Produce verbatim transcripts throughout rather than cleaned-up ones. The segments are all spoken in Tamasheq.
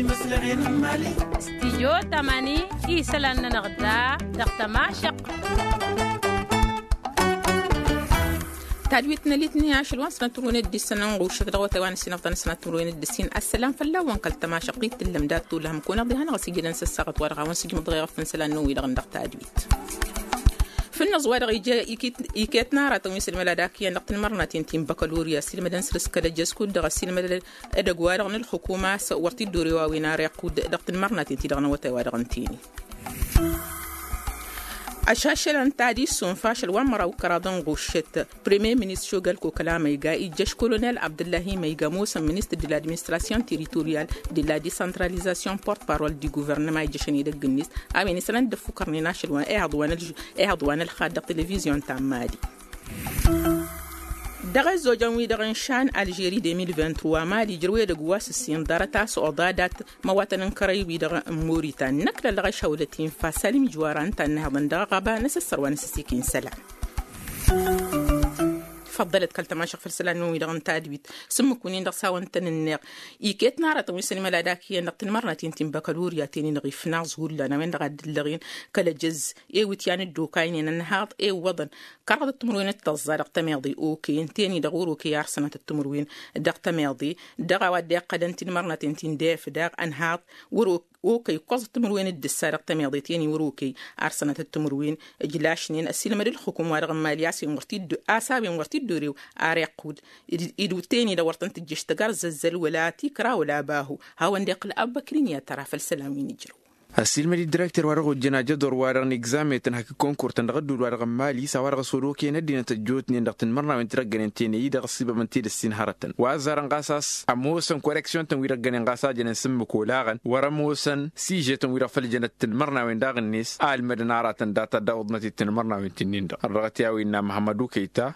Imǝslăɣen n-imali. Stijyo tămani isălan-nănăɣ da dăɣ-tămašăq. Tadwit n-elitni ašăl wa n-sănat timǝrwen d-issăn n-ɣušăt dăɣ-wătay wa n-ăssinăɣ ta n-sănat timǝrwen d-ǝssin. Ăssălam fălla-wen kăl-tămašăq d-tǝllăm dat-t ulhăm kunăɣ diha n-aɣăsijădăn s-ăssaɣăt wa dăɣ-a-wen sǝjmăḍ ɣer făn isălan n-wi-dăɣ n-dăɣ tadwit. Fǝnnăẓ wa dăɣ-ija iket n-aratăn wi s-ălmăla d-akǝyăn dăɣ-tǝnmărnaten ti n-băkălurya s-ilmădăn săr-s kăl-ăjjăz kud-dăɣ ăsilmădăn edăgg-wa-dăɣ n-ǝlxǝkum a-s wăr t-dd-ore wa wen ar iqqud dăɣ-tǝnmărnaten ti-dăɣ n-awătay wa dăɣ-ǝntăynen. Ašăšălăn tadis sunfa ašăl wa n-măraw kăraḍ n-ɣuššăt premier ministru galko kăla măyga ijjăš kolonel abdăllahi măyga ămoosăn ministru de l'administration territorial de la decentralization porte parole du guvernăma ijjăšăn edăgg-net a-wen isălan dd-ăffukărnen ašăl wa n-ehăḍ wa n-ălxad dăɣ-televizyon ta n-mali. Dăɣ-ăzzojăn-wi-dăɣ n-šan alžeri de mil vingt-trois mali ijrăw edăgg wa s-ǝssin ḍarăt a-s oḍa dat-măwatăn n-kărăy-wi-dăɣ n-moritan năkk lălɣăš hawlăt infa salim ijwara ǝnta a ǝnnăhăḍăn dăɣ-aɣaba n-asǝssăr wa n-asǝssikin isălan. Făḍḍălăt kăl-tămašăɣ făll-isălan-wi-dăɣ n-tadwit s-ǝmmǝk-win-dăɣ s-a-wăn tăn-ǝnneɣ iket n-aratăn wi s-ănimăla d-akǝyăn dăɣ-tǝnmărnaten ti n-băkălurya ten-i-dăɣ ifnaẓ hullan a-wen-dăɣ a dd-ǝllăɣen kăl-ăjăz ewǝtyan dd-okaynen ănhaḍ ewwăḍăn kăraḍăt timǝrwen d-tăẓẓa dăɣ-tămeḍe okăyăn ten-i-dăɣ wăr-okăy ar sănatăt timǝrwen dăɣ-tămeḍe dăɣ-a-wa dd-iqqălăn tinmărnaten ti n-def daɣ ănhaḍ wăr-okăy ǝkkoẓăt timǝrwen d-ǝssa dăɣ-tămeḍe ten-i wăr-okăy ar sănatăt timǝrwen ǝjlašnen ăsilmăd ǝlxǝkum wa dăɣ-n mali a-s a-wen wăr t-dd-orew ar iqqud id-wǝt ten-i-dăɣ wăr tăn-tǝjjǝš tăgg-arzăzzăl wăla tikra wăla bahu hawăn-dd-iqqǝl abbăkrin i-ad-tăra făll-isălan wi n-ijrăw. Ăsilmăd-dd direkter wa dăɣ-ojjăn ajăḍor wa dăɣ-nigzametăn hak-ǝkkonkurtăn dăɣ-ădduul wa dăɣ-n mali s-a-wa dăɣ-s wăr-okăyăn ăddinăt ăjjootnen dăɣ-tinmărnawen ti-dăɣ ăggănen tenăyy dăɣ-ăssibăbăn ti-dăɣ s-inhărătăn wa ăzzarăn ɣas a-s ămoosăn koreksyon-tăn wi-dăɣ ăggănen ɣas a jănen s-ǝmmǝk olaɣăn wăr-ămoosăn sižetăn wi-dăɣ făll-jănăt tinmărnawen daɣ-net a ălmădăn aratăn data dd-awǝḍnăt i-tinmărnawen ti-nin-dăɣ ărrăɣăt i-a-wa innă măhămmăd ukăyta.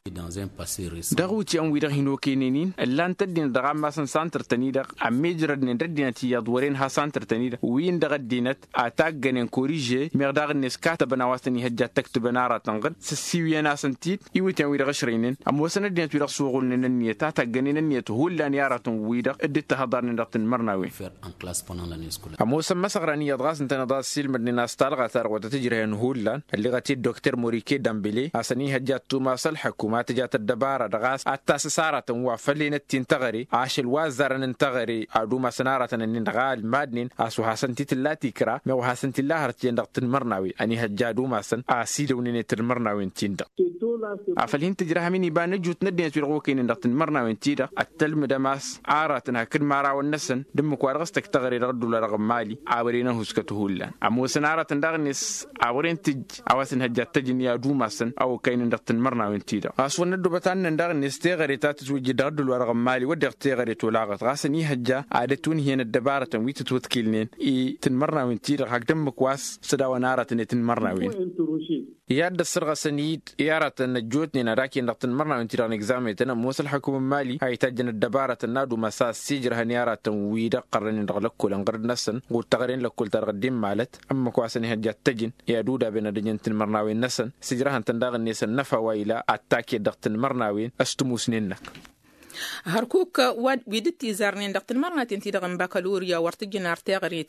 Dăɣ-iwǝtyan-wi-dăɣ hin-okăynen-in ǝllan-t ăddinăt dăɣ-ammas n-santăr-tăn-i-dăɣ ămmiijrădnen d-ăddinăt iyyăḍ wăren ha santăr-tăn-i-dăɣ win-dăɣ ăddinăt a taggănen koriže meɣ daɣ-net katăbăn a-wa s-tăn-ihăjja ad-tăktǝbăn aratăn ɣǝd s-ăssiiwǝyăn-asăn-t-dd. Iwǝtyan-wi-dăɣ ăšrăynen ămoosăn ăddinăt-wi-dăɣ s-oɣulnen ănniyăt a taggănen ănniyăt hullan i-aratăn-wi-dăɣ dd-ǝttăhăḍarnen dăɣ-tinmărnawen. Ămoosăn măsăɣran iyyăḍ ɣas ǝntăneḍ a ăssiilmădnen a-s talɣa ta dăɣ-wăr tăt-ǝjrăhăn hullan ălliɣăt-dd dokter morike dambele a-s ănihăjja ad-tumas ălḥăkum ad-tǝjat ăddăbara dăɣ-a-s ad-tasǝs aratăn wa făll-enăt ti n-teɣăre ašăl wa ăzzarăn n-teɣăre ad-umasăn aratăn-ǝnnin-dăɣ a ălmadnen a-s wa hasăn-t-tǝlla tikra meɣ wa hasăn-t-illa hărăt jăn dăɣ-tinmărnawen ănihăjja ad-umasăn a ăsidăwnen i-tinmărnawen-tin-dăɣ. Afăl hin-tǝjrăhăm-in iba n-ăjut n-ăddinăt-wi-dăɣ okăynen dăɣ-tinmărnawen-ti-dăɣ ăttălmǝdăm a-s aratăn hakd imărawăn-năsăn d-ǝmmǝk wa dăɣ-s tăkk teɣăre dăɣ-ădduul-wa-dăɣ n-mali a wăren ăhuskăt hullan ămoosăn aratăn daɣ-net a wăren tǝjj a-wa s-inhăjja ad-t-ăjǝn i-ad-umasăn a okăynen dăɣ-tinmărnawen-ti-dăɣ ɣas wăr năddobăt ad-nǝnnăn daɣ-net teɣăre ta tǝtwǝjjǝd dăɣ-ădduul-wa-dăɣ n-mali wădden teɣăre tolaɣăt ɣas ănihăjja ad-ătwǝnhǝyăn ăddăbarătăn wi tǝtwǝḍkǝlnen i-tinmărnawen-ti-dăɣ hakd ǝmmǝk wa s-sădawăn aratăn i-tinmărnawen. I-ad-dd-ăssărɣăsăn-dd i-aratăn ăjjootnen ad-akǝyăn dăɣ-tinmărnawen-ti-dăɣ n-egzametăn ămoos ălxăkum n-mali a itajjăn ăddăbarătăn n-ad-umas a ăssiijrăhăn i-aratăn-wi-dăɣ ɣărrănen dăɣ-lăkkol ănɣărăd-năsăn ɣur-teɣăre n-lăkkol-ta-dăɣ dd-immalăt ǝmmǝk wa s-ănihăjja ad-t-ăjǝn i-ad-udab'-en ad-ăjăn tinmărnawen-năsăn sǝjrăhăn-tăn daɣ-net ănnăfa wa ila ad-taked dăɣ-tinmărnawen s-tǝmusnen-năk. Hărkuk wi dd-tizarnen dăɣ-tinmărnaten-ti-dăɣ n-bakalurya wăr t-ǝjǝn ar teɣăre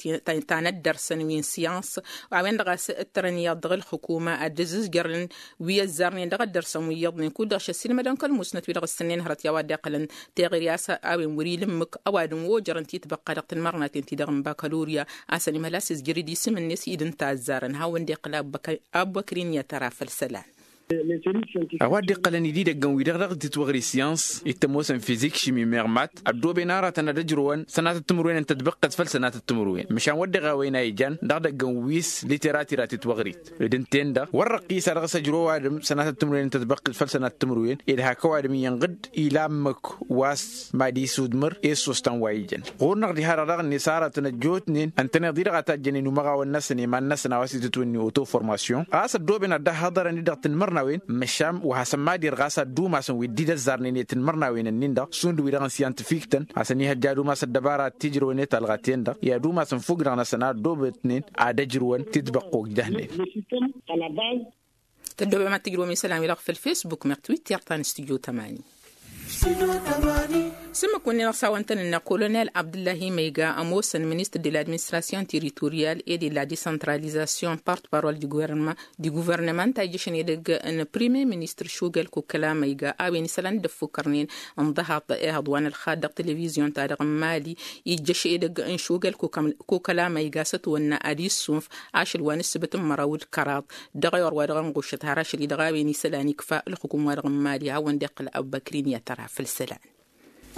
ta n-ăddărsăn wi n-siyans a-wen-dăɣ a-s ǝttărăn iyyăḍ dăɣ-ǝlxǝkuma ad-dd-ǝzzǝzjărnen wi ăzzarnen dăɣ-ăddărsăn wi iyyăḍnen kud-dăɣ šăssinmădăn kăl-musnăt wi-dăɣ ǝssǝnnen hărăt i-a-wa dd-iqqălăn teɣăre a-s a-wen wăr-ila ǝmmǝk ăwadǝm ojărăn titbăqqa dăɣ-tinmărnaten-ti-dăɣ n-bakalurya a-s ănimhăl a-s izjăr-dd isǝm-net i-dd ǝnta a ăzzarăn hawăn-dd-iqqǝl abbăkrin i-ad-tăra făll-isălan. A-wa dd-iqqălăn ididăggăn-wi-dăɣ dăɣ-titwăɣri syans ittămosăn fizik šimi meɣ mat ăddooben aratăn ad-ăjrăwăn sănatăt timǝrwen n-tătbăqqăt făll-sănatăt timǝrwen măšan wădden a-wen a ijan dăɣ-idăggăn wi s-literatira titwăɣrit d-ǝnta-en-dăɣ wăr răqqisa dăɣ-s ăjrăw ăwadǝm sănatăt timǝrwen n-tătbăqqăt făll-sănatăt timǝrwen ed hak ăwadǝm iyyăn ɣǝd ila ǝmmǝk wa s-mad-isudmăr i-ǝssoos ta n-wa ijan ɣur-năɣ diha-dăɣ daɣ-net aratăn ăjjootnen ǝntăneḍ-i-dăɣ a tajjănen umăɣawăn-năsăn i-iman-năsăn a-wa s-itǝtwǝnni otoformasyon ɣas ăddooben ad-dd-ăhhăḍărăn-dd dăɣ-tinmărnawen măšan wa hasăn-mad-irɣas ad-dd-umasăn wi dd-idăzzarnen i-tinmărnawen-ǝnnin-dăɣ šund wi-dăɣ n-syantifiktăn a-s ănihăjja ad-umas ăddăbara ad-t-ijrăwăn i-talɣaten-dăɣ i-ad-umasăn fukk-dăɣ-năsăn a ăddoobătnen ad-ăjrǝwăn titbăqqokt dăhnen. Tăddoobem ad-tǝjrǝwăm isălan-wi-dăɣ făll-fesbuk meɣ twitter ta n-studyo tămani. S-ǝmmǝk-wǝnnin ăsawăn-tăn-ǝnneɣ kolonel abdǝllahi măyga ămoosăn ministăr de la administration territorial e de la decentralization part parol di guvernămant ta ijjăšăn edăgg n-premier ministăr šugăl kokăla măyga a-wen isălan dd-ăffukkărnen n-dăhaḍ ehăḍ wa n-ălxad dăɣ-televizyon-ta-dăɣ n-mali. Ijjăš edăgg n-šugăl kokăla măyga s-ătwănna ad-issunf ašăl wa n-ǝssǝbǝt n-măraw d-kăraḍ dăɣ-ewăr wa dăɣ-ănɣušăt har ašăl-i-dăɣ a-wen isălan ikfa ălxukum wa dăɣ-n mali hawăn-dd-iqqǝl abubăkrin i-ad-tăra făll-isălan.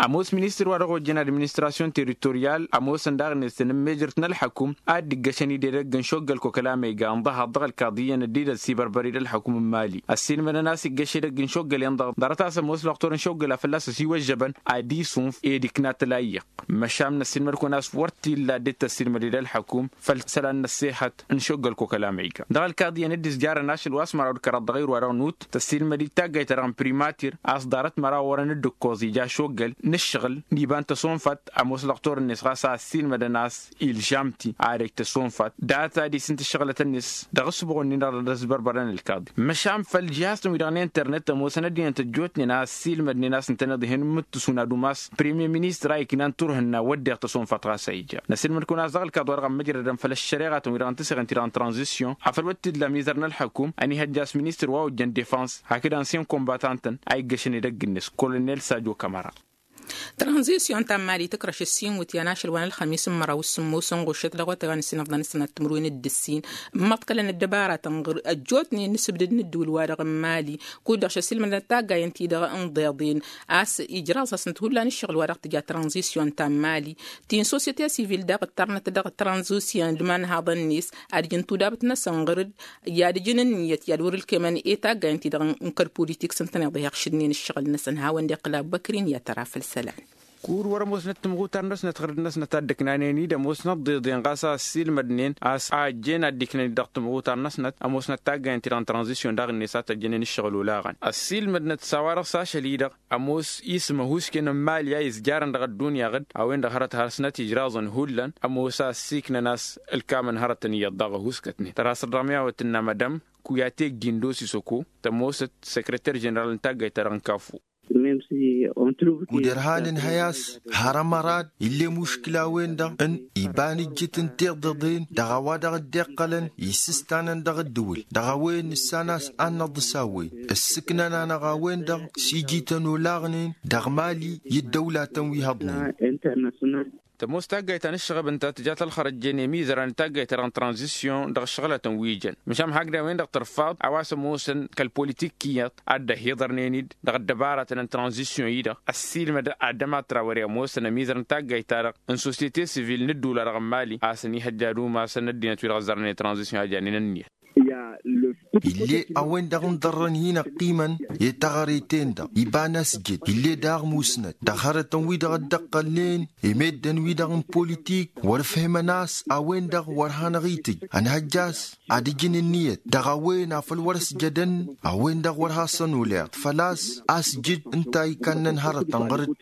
Ămoos ministăr wa dăɣ-ojjăn administrasyon territoryal ămoosăn daɣ-net tăn-ǝmmejărt n-ălḥăkum ad-dd-ǝggăšăn-dd edăgg n-šoggăl kokăla măyga n-dăhaḍ dăɣ-ălkaḍiyyăn dd-idăs ibărbări d-ălḥăkum n-mali ăssiilmădăn a-s iggăš edăgg n-šoggălen-dăɣ ḍarăt a-s ămoos lăqtor n-šoggăl a fălla-s ăsiwăžžăbăn ad-iswǝnf ed ikna tălayyăɣ. Măšan n-ăssiilmăd-kăwăn a-s wăr t-illa dd-tăssiilmăd ed-ălḥăkum făll-isălan n-ăssehăt n-šoggăl kokăla măyga dăɣ-ălkaḍiyyăn dd-izjarăn ašăl wa s-măraw d-kăraḍ dăɣ-irwa dăɣ-nut tăssiilmăd-dd taggayt-ta-dăɣ n-primatir a-s ḍarăt măraw wărăn dd-ǝkkoẓ ija šoggăl n-ǝššăɣǝl n-iba n-tăsonfat. Ămoos lăqtor-net ɣas a ăssiilmădăn a-s ilžamti ad-ăj tăsonfat data d-isǝnt ǝššăɣǝlăt-net dăɣ-ǝssǝbuɣ-nin-dăɣ dăr-s bărbărăn ălkaḍi măšan făll-žihaz-tăn-wi-dăɣ n-internet ămoosăn ăddinăt ăjjootnen a ăssiilmădnen a-s ǝntăneḍ ihăn mǝttǝsun ad-umas premier ministăr a iknan turhǝnna wădden tăsonfat ɣas a ija. Năsiilmăd-kăwăn a-s dăɣ-ălkaḍ wa dăɣ-ămmăjrădăn făll-ăššăreɣa-tăn-wi-dăɣ n-tisăɣen ti-dăɣ n-tranzisyon afăl wăr t-illa mizăr n-ălḥăkum ănihăjja a-s ministăr wa ojjăn defăns hakd ancien combatant-tăn a iggăšăn edăgg-net kolonel sajo kamăra. Tranzisyon ta n-mali tǝkrăš ǝssin wǝtyan ašăl wa n-ălxămis n-măraw s-sǝmmos ănɣušăt dăɣ-otay wa n-ǝssin ăfḍăn s-sănat timǝrwen d-ǝssin ǝmmăḍkălăn ăddăbaratăn ɣǝr ăjjootnen n-asǝbdǝd n-ǝddǝwǝl-wa-dăɣ n-mali kud-dăɣ šăsilmădăn taggayăn-ti-dăɣ n-iḍeḍen a-s ijraẓ-asăn-t hullan ǝššăɣǝl-wa-dăɣ tǝja tranzisyon ta n-mali ti n-sosyete sivil daɣ ǝttarnăt dăɣ-tranzisyon d-imanhaḍăn-net ad-ǝjǝn tudabǝt-năsăn ɣǝr-dd i-ad-ǝjǝn ǝnniyăt i-ad-wăr-ǝlkemăn i-taggayăn-ti-dăɣ n-kăl-politik s-ǝntăneḍ ihăɣšǝdnen ǝššăɣǝl-năsăn hawăn-dd-iqqǝl abubăkrin i-ad-tăra făll-isălan. Kur wăr-ămoosnăt timɣutar-năsnăt ɣǝr-dd-năsnăt a dd-ǝknanen-dd ămoosnăt ḍeḍen ɣas a ăssiilmădnen a-s a ăjjeen ad-dd-iknăn-dd dăɣ-timɣutar-năsnăt ămoosnăt taggayăn-ti-dăɣ n-tranzisyon daɣ-net a tăjjănen ǝššăɣǝl olaɣăn ăssiilmădnăt s-a-wa-dăɣ s-ašăl-i-dăɣ ămoos isǝm ăhuusken n-mali a izjarăn dăɣ-ăddunya ɣǝd a-wen-dăɣ hărăt har sănăt ijraẓăn hullan ămoos a ăssiiknăn a-s ǝlkamăn hărătăn iyyăḍ daɣ ăhuuskătnen tărha săr-dăɣ mi-a-wăt tǝnna madam kuyate gindo sisăko tămoosăt săkrăter ženeral n-taggayt-ta-dăɣ n-kafu. Kud-ărhan ǝnhăy a-s har ămărad ill'-e muškǝla-wen-dăɣ n-iba n-ǝjjǝt n-tiḍeḍen dăɣ-a-wa dăɣ-dd-iqqălăn isǝstanăn dăɣ-ǝddǝwǝl dăɣ-a-wen nǝssan a-s ad-năḍǝs a-wen ǝssǝknăn-anăɣ a-wen-dăɣ s-ijităn olaɣnen dăɣ-mali i-ăddăwlatăn wi hăḍnen. Tămoos taggayt ta n-ǝššăɣăb ǝnta tǝjat ălxărăjjen i-imizăra n-taggayt-ta-dăɣ n-tranzisyon dăɣ-ǝššăɣǝlătăn wi jăn măšan hakd a-wen-dăɣ tărfaḍ a-wa s-ămoosăn kăl-politik iyyăḍ ad-dd-ăhiḍărnen-dd dăɣ-ăddăbaratăn n-tranzisyon-i-dăɣ ăssiilmăd adăma trawăre ămoosăn ămizăr n-taggayt-ta-dăɣ n-sosyete sivil n-ǝddǝwǝl-wa-dăɣ n-mali a-s ănihăjja ad-umasăn ăddinăt-wi-dăɣ ăzzărnen tranzisyon a janen ǝnniyăt. Ill'-e a-wen-dăɣ n-ḍărrăn hin-ăqqimăn i-taɣăre-ten-dăɣ iba n-asjăd ill'-e daɣ musnăt dăɣ-hărătăn-wi-dăɣ dd-ăqqălnen i-meddǝn-wi-dăɣ n-politik wăr-ǝfhǝmăn a-s a-wen-dăɣ wăr hanăɣ-itǝj ănhăjja a-s ad-ǝjǝn ǝnniyăt dăɣ-a-wen afăl wăr-ăsjădăn a-wen-dăɣ wăr hasăn-oleɣ făl-a-s asjǝd ǝnta a ikannen hărătăn ɣăr-dd.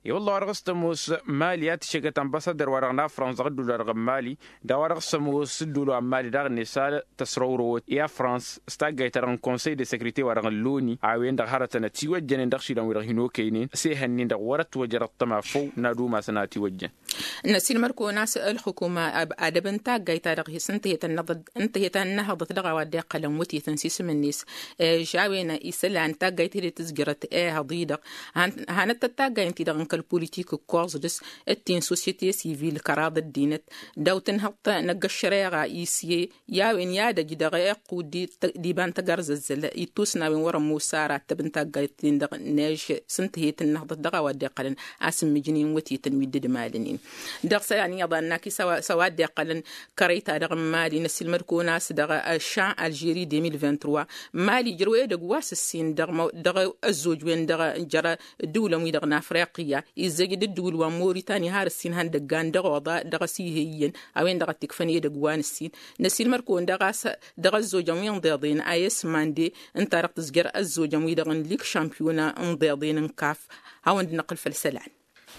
I-wălla wa dăɣ-s tămoos mali a tǝššegăt ănbasadăr wa dăɣ-nafrans dăɣ-ǝddul wa dăɣ-n mali d-a-wa dăɣ-s ămoos ǝddul wa n-mali daɣ-net a tăsrăwrăwăt i-afrans s-taggayt-ta-dăɣ n-konsăy de sekrete wa dăɣ-n loni a-wen-dăɣ hărătăn ătiwăjjănen dăɣ-išilan-wi-dăɣ hin-okăynen s-ehăn-in-dăɣ wăr-ătwăjăr ăṭṭăma făw n-ad-umasăn a ătiwăjjăn. Năsilmăd-kăwăn a-s ălxukuma adăb n-taggayt-ta-dăɣ hi-s ǝntăhet ănnăhăḍăt dăɣ-a-wa dd-iqqălăn wătetăn s-isǝm-net ežawen isălan taggayt-hi-dăɣ tǝzjărăt ehăḍ-i-dăɣ hanăt-tăt taggayt-i-dăɣ n-kăl-politik ǝkkoẓ dăɣ-s d-ti n-sosyete sivil kăraḍ ăddinăt daw-tǝnhăḍt năgg-ăššăreɣa isye i-a-wen i-ad-ăj dăɣ-iqqud d-iba n-tăggarzăzzăl ittus n-a-wen wăr-ămoos ara ăttăb n-taggayt-ten-dăɣ n-ež s-ǝntăhet ǝnnăhḍăt dăɣ-a-wa dd-iqqălăn a-s ǝmmǝjnen wătetăn wi dd-ǝmalnen. Dăɣ-isălan iyyăḍ a ǝnnak-i s-a-wa dd-iqqălăn kărăy-ta-dăɣ n-mali năsilmăd-kăwăn a-s dăɣ-ăššan alžeri deux mille vingt-trois mali ijrăw edăgg wa s-ǝssin dăɣ-ăzzoj-wen-dăɣ jer-ǝddǝwǝlăn wi-dăɣ n-afriqya izzăj d-ǝddǝwǝl wa n-moritani har ǝssin han dăggan dăɣ-oḍa dăɣ-ăsihăy iyyăn a-wen-dăɣ a t-ikfăn edăgg wa n-ǝssin. Năsilmăd-kăwăn daɣ a-s dăɣ-ăzzojăn wi n-iḍeḍen a s-mande ǝnta-dăɣ tǝzjăr ăzzojăn-wi-dăɣ n-lig šampiyona n-iḍeḍen n-kaf. Hawăn-dd-năqqǝl făll-isălan.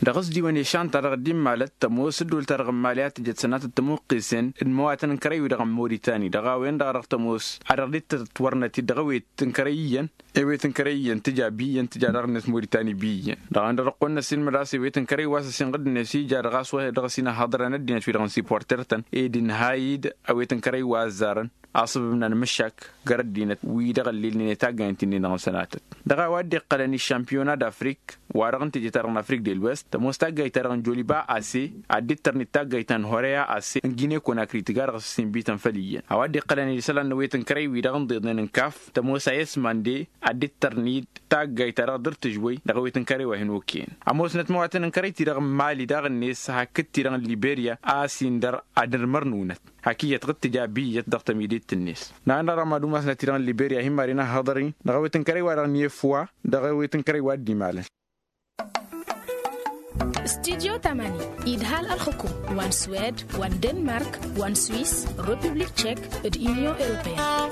Dăɣ-s d-iwăn išan-ta-dăɣ dd-immalăt tămoos ǝddul-ta-dăɣ n-imali a tǝjăt sănatăt tămuqqisen d-imăwatăn n-kărăy-wi-dăɣ n-moritani dăɣ-a-wen-dăɣ a dăɣ-tămoos a dăɣ-dd-tătwărnăt-dd dăɣ-ewet n-kărăy iyyăn. Ewet n-kărăy iyyăn tǝja bi iyyăn tǝja daɣ-net moritani bi iyyăn. Dăɣ-a-wen-dăɣ dăɣ-kăwăn-năsilmăd a-s ewet n-kărăy wa s-ăsinɣǝd-net ija dăɣ-a-s wa dăɣ-s inăhhăḍrăn ăddinăt-wi-dăɣ n-siporter-tăn ed ǝnhay-dd ewet n-kărăy wa ăzzarăn. Aṣăbăb n-anmǝššak găr ăddinăt wi-dăɣ ăllilnen i-taggayăn ti-nin-dăɣ n-sănatăt dăɣ-a-wa dd-iqqălăn i-šampiyona d-afrik wa-dăɣ n-teje-ta-dăɣ n-afrik de lwest tămoos taggayt-ta-dăɣ n-joliba ase ad-dd-tărnit taggayt ta n-horeya ase n-gine konakri tǝga dăɣ-s s-inbităn făll-iyyăn. A-wa dd-iqqălăn isălan n-ewet n-kărăy-wi-dăɣ n-iḍeḍnen n-kaf tămoos a i-s mande ad-dd-tărnit taggayt-ta-dăɣ dăr-tǝžwăy dăɣ-ewet n-kărăy wa hin-okăyăn. Ămoosnăt măwatăn n-kărăy-ti-dăɣ n-mali daɣ-net hakd-ti-dăɣ n-liberya a-s indăr ad-nărmăr n-unăt hak iyyăt ɣǝd tǝja bi iyyăt dăɣ-tămidet-net. N-a ănn-dăɣ mad-umasnăt-i-dăɣ n-liberya hin-mad-inăhhăḍăr-in dăɣ-ewet n-kărăy wa dăɣ-nefwa dăɣ-ewet n-kărăy wa dd-imalăn. Studyo tamani idhal ălxukum wa n-swed wa n-denmark wa n-swis, republik tchek, d-union europeyăn.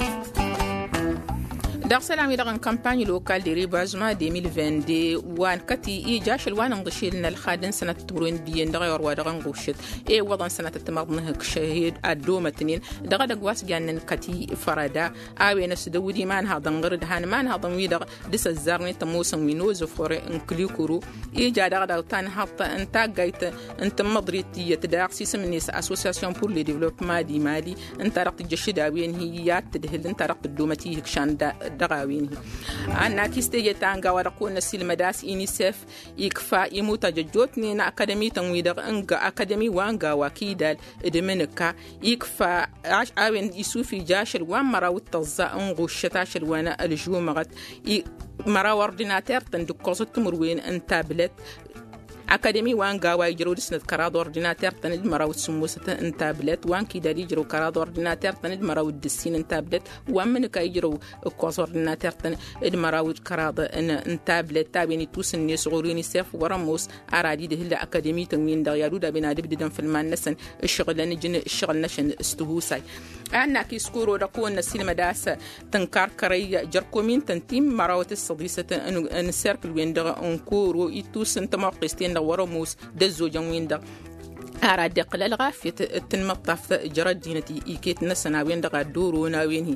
Dăɣ-isălan-wi-dăɣ n-kampany lokal de rebazma de mil vingt-deux wa n-kăti ija ašăl wa n-inḍǝšel n-ălxad n-sănatăt timǝrwen d-iyyăn dăɣ-ewăr wa dăɣ-ǝnɣušăt i-iwwăḍăn sănatăt timăḍnăhǝk šăhed ad-dd-omătnen. Dăɣ-edăgg wa s-jannen kăti fărăda a-wen ăsdăwǝd imanhaḍăn ɣǝr-dd han imanhaḍăn-wi-dăɣ d-s ăzzarnen tămoosăn wi n-ozăfore n-kǝlikuru. Ija dăɣ-dăɣ tanhaḍt n-taggayt n-tǝmmăḍrit tiyyăt daɣ s-isǝm-net association pur le devlopma d-imali ǝnta dăɣ-tǝjjăššǝd a-wen hi-i ad-tǝdhǝl ǝnta dăɣ-tǝddumăt ihǝkšan dăɣ-a-wen-hi. Annak-is teje ta n-gawa dăɣ-kăwăn-năsilmăd a-s inisef ikfa imutăj ăjjootnen akadămi-tăn-wi-dăɣ n-akadămi wa n-gawa kidal d-imǝnǝka ikfa a-wen isufij ašăl wa n-măraw d-tăẓẓa n-ɣuššăt ašăl wa n-ălžumăɣăt măraw ordinater-tăn d-ǝkkoẓăt timǝrwen n-tablăt. Akadămi wa n-gawa ijrăw dăr-snăt kăraḍ ordinater-tăn d-măraw d-sǝmmosăt n-tablăt wa n-kidal ijrăw kăraḍ ordinater-tăn d-măraw d-ǝssin n-tablăt wa n-imǝnǝka ijrăw ǝkkoẓ ordinater-tăn d-măraw d-kăraḍ n-tablăt a-wen ittus-net ɣur-inisef wăr-ămoos. Ara d-idhǝl akadămi-tăn-win-dăɣ i-ad-udaben ad-ǝbdǝdăn făll-iman-năsăn ǝššăɣǝlăn ǝjǝn ǝššăɣǝl-năšăn s-tihusay. Annak-is koro dăɣ-kăwăn-năsilmăd a-s tǝnkar kărăy jer-komin-tăn ti n-mărawăt d-săḍisăt n-serkǝl-wen-dăɣ n-koro ittus n-tămoqqes-ten-dăɣ wăr-ămoos d-ăzzojăn-win-dăɣ. Ara dd-iqqǝl ălɣafyăt d-tinmăṭṭaft jer-ăddinăt iket-năsăn a-wen-dăɣ ad-dd-oron a-wen-hi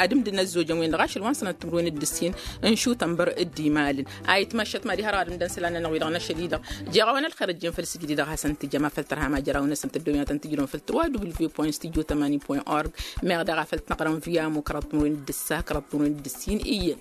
ad-ǝmdǝn ăzzojăn-win-dăɣ ašăl wa n-sănăt timǝrwen d-ǝssin n-šutănbăr d-imalǝn. A itmăššăt mad-iha dăɣ-ad-ǝmdăn isălan-nănăɣ wi-dăɣ n-ašăl-i-dăɣ jeɣ-awăn ălxer ăjjeen făll-sǝjdǝd dăɣ-hasăn-tǝjjăm afăl tărha ma jer-awăn-năsăn tăddoymatăn tǝjrǝwăn făll-trois w point studio tămani point org. Meɣ daɣ afăl t-năɣrăm via mo kăraḍ timǝrwen d-ǝssa kăraḍ timǝrwen d-ǝssin iyyăn.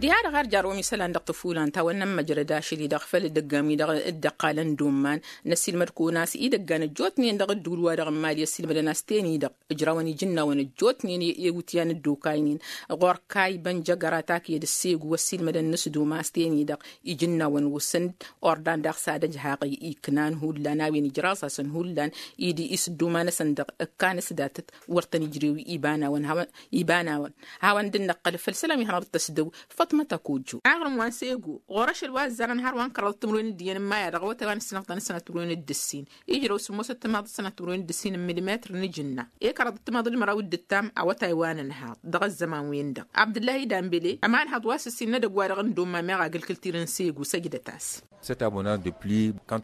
Diha-dăɣ har jarrăwăm isălan dăɣ-tăfulan ta wănnăn măjrăd ašăl-i-dăɣ făll-dd-ăggan-wi-dăɣ dd-ăqqalăn d-umman. Năsilmăd-kăwăn a-s idăggan ăjjootnen dăɣ-ǝddǝwǝl-wa-dăɣ n-imali ăsilmădăn a-s ten-i-dăɣ ǝjrawăn ijǝnnawăn ăjjootnen i-iwǝtyan dd-okaynen ɣur-kayy bănjăgăra takyăd ăssegu ăssiilmădăn n-asdum a-s ten-i-dăɣ ijǝnnawăn wǝsǝn-dd ordan daɣ s-ad-ăjhaɣ iknan hullan a-wen ijraẓ-asăn hullan. Id-isǝdduma-năsăn-dăɣ ǝkkan s-datăt wăr tăn-ijrew iba n-awăn hawăn iba n-awăn. Hawăn dd-năqqăl făll-isălan wi hanăɣ-dd-tăsdăw făṭmăt ăkojju aɣrǝm wa n-sego ɣur-ašăl wa ăzzarăn har wa n-kăraḍăt timǝrwen d-iyyăn n-maya dăɣ-awătay wa n-ǝssǝnăɣ-tăn sănat timǝrwen d-ǝssin ijrăw sǝmmosăt timaḍ d-sănat timǝrwen d-ǝssin n-milimetr n-ijǝnna. I-kăraḍăt timaḍ d-măraw d-ǝttam awătay wa n-ănhaḍ dăɣ-ăzzăman-wen-dăɣ abdǝllahi dambele ămanhăḍ wa s-ǝssin n-edăgg-wa-dăɣ n-domma meɣ agǝlkǝl tirǝn sego săjdăt-as.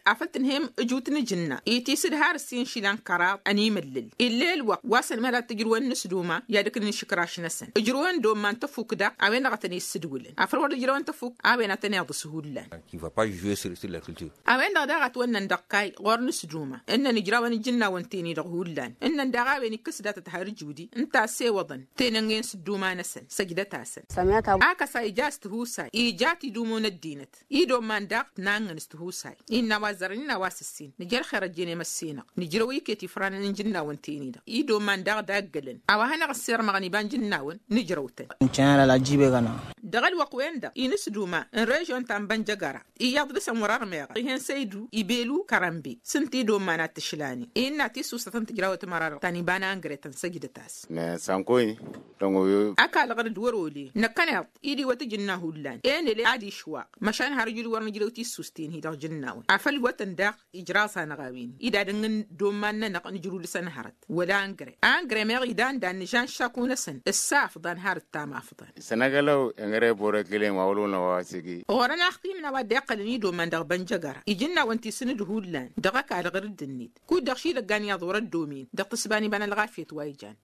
Afăl tǝnhăyăm ǝjut n-ijǝnna itisǝd har ǝssin išilan kăraḍ ănimǝllǝl ill'-e ălwăqq wa s-ănmălad tǝjrǝwăn n-asduma i-ad-ǝknǝn išǝkraš-năsăn ǝjrǝwăn domma n-tăfuk daɣ. A-wen-dăɣ a tăn-issǝdwǝlăn afăl wăr dd-ǝjrăwăn tăfuk a-wen a tăneḍǝs hullan. A-wen-dăɣ daɣ ătwănnăn dăɣ-kayy ɣur-nǝsduma ǝnnăn ǝjrawăn ijǝnnawăn-ten-i-dăɣ hullan ǝnnăn daɣ a-wen ikkăs datăt har ǝjudi ǝnta a ăssewăḍăn tănăngen s-ǝdduma-năsăn săjdăt-asăn. Akăs a ija s-tihusay ija tidumǝw n-ăddinăt idomman daɣ tǝnangăn s-tihusay. Innă a-wa ăzzarăn innă a-wa s-ǝssin nǝja ălxer ăjjeen i-măssinăɣ nǝjrăw iket ifranăn n-ijǝnnawăn-ten-i-dăɣ idomman daɣ daggălăn. A-wa hanăɣ-ăssirmăɣăn iba n-ijǝnnawăn nǝjrăw-tăn. Dăɣ-ăl Wăqq-wen-dăɣ inǝs duma n-režyon ta n-bănjăgăra iyyăḍ dăr-săn wăr-ărmeɣăt ih'-en săydu ibelu kărănbe s-ǝnta idomman ad-t-ǝšlanen innă tissusăt n-tǝjrawăt măra-dăɣ ta n-iba n-angre tăn-săjdăt-as. Măsankoy. Dăɣ-oyo. Ăkall ɣǝr-dd wăr-olen năkkăneḍ-t idiwăt ǝjǝnna hullan enăle ad-išwaq măšan har ǝjǝl wăr nǝjrăw tissusten-hi-dăɣ jǝnnawăn afăl iwătăn daɣ ijraẓ-anăɣ a-wen-i d-ad-ǝnnǝn domman-nănăɣ nǝjrǝw dăr-săn hărăt wăla angre angre meɣ idan dan nǝžan šaku-năsăn ǝssa afḍan har ǝttam afḍan. Isănăgălăw engăre borăkile ma wăl-wănăɣ wa s-igi. Ɣur-ănaxtim n-a-wa dd-iqqălăn idoman dăɣ-bănjăgăra ijǝnnawăn ti s-nǝdhullan dăɣ-ăkall ɣǝr-dd-net kud-dăɣ šidăggan iyyăḍ wăr-ăddomen dăɣ-tǝsba n-iba n-ălɣafyăt wa ijan.